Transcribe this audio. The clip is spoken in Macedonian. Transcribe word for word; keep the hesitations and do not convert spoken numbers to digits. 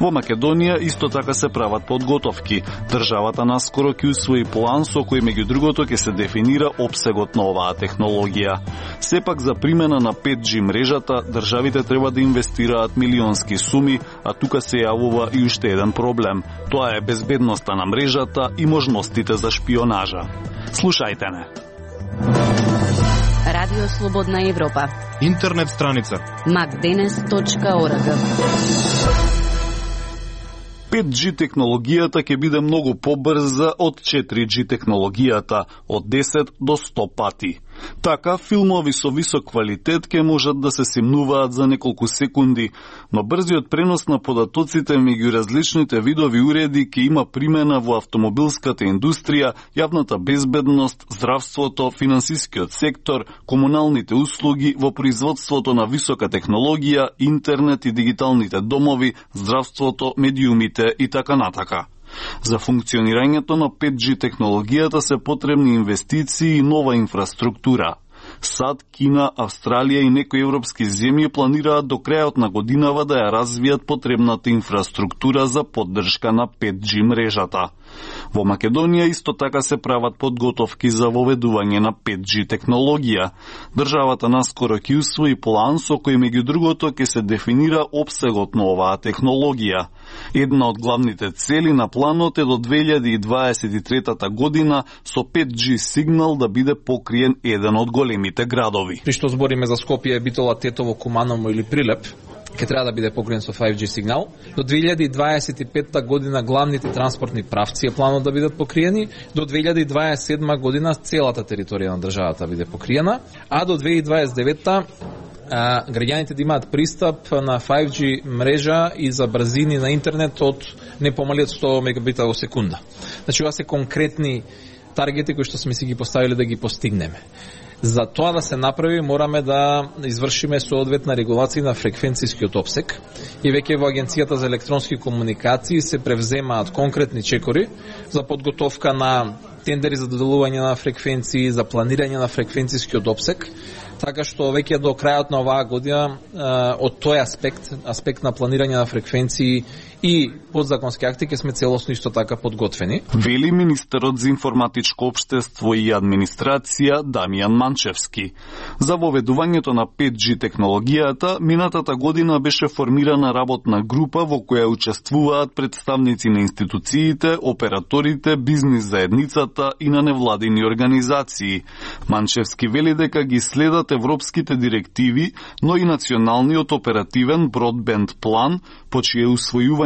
Во Македонија исто така се прават подготовки. Државата наскоро ќе усвои план со кој меѓу другото ќе се дефинира опсегот на оваа технологија. Сепак за примена на пет џи мрежата државите треба да инвестираат милионски суми, а тука се јавува и уште еден проблем. Тоа е безбедноста на мрежата и можностите за шпионажа. Слушајте не. Радио Слободна Европа. Интернет страница макденес точка орг. пет џи технологијата ќе биде многу побрза од четири џи технологијата, од десет до сто пати. Така, филмови со висок квалитет ќе можат да се симнуваат за неколку секунди, но брзиот пренос на податоците меѓу различните видови уреди ќе има примена во автомобилската индустрија, јавната безбедност, здравството, финансискиот сектор, комуналните услуги, во производството на висока технологија, интернет и дигиталните домови, здравството, медиумите и така натака. За функционирањето на пет џи технологијата се потребни инвестиции и нова инфраструктура. САД, Кина, Австралија и некои европски земји планираат до крајот на годинава да ја развијат потребната инфраструктура за поддршка на пет џи мрежата. Во Македонија исто така се прават подготовки за воведување на пет џи технологија. Државата наскоро ќе усвои план со кој меѓу другото ќе се дефинира опсегот на оваа технологија. Една од главните цели на планот е до две илјади дваесет и трета година со пет џи сигнал да биде покриен еден од големите градови. При што збориме за Скопје, Битола, Тетово, Куманово или Прилеп, ќе треба да биде покриен со пет џи сигнал. До две илјади дваесет и пета година главните транспортни правци е планот да бидат покриени, до две илјади дваесет и седма година целата територија на државата биде покриена, а до две илјади дваесет и девета а, граѓаните да имаат пристап на пет џи мрежа и за брзини на интернет од не помали од сто мегабита во секунда. Значи, ова се конкретни таргети кои што сме си ги поставили да ги постигнеме. За тоа да се направи, мораме да извршиме соодветна регулација на фреквенцијскиот опсек и веќе во Агенцијата за електронски комуникации се превземаат конкретни чекори за подготовка на тендери за доделување на фреквенции, за планирање на фреквенцијскиот опсек, така што веќе до крајот на оваа година од тој аспект, аспект на планирање на фреквенции и подзаконски акти ќе сме целосно исто така подготвени. Вели министерот за информатичко општество и администрација Дамјан Манчевски. За воведувањето на пет џи технологијата, минатата година беше формирана работна група во која учествуваат представници на институциите, операторите, бизнис заедницата и на невладини организации. Манчевски вели дека ги следат европските директиви, но и националниот оперативен бродбенд план, по чие усвојување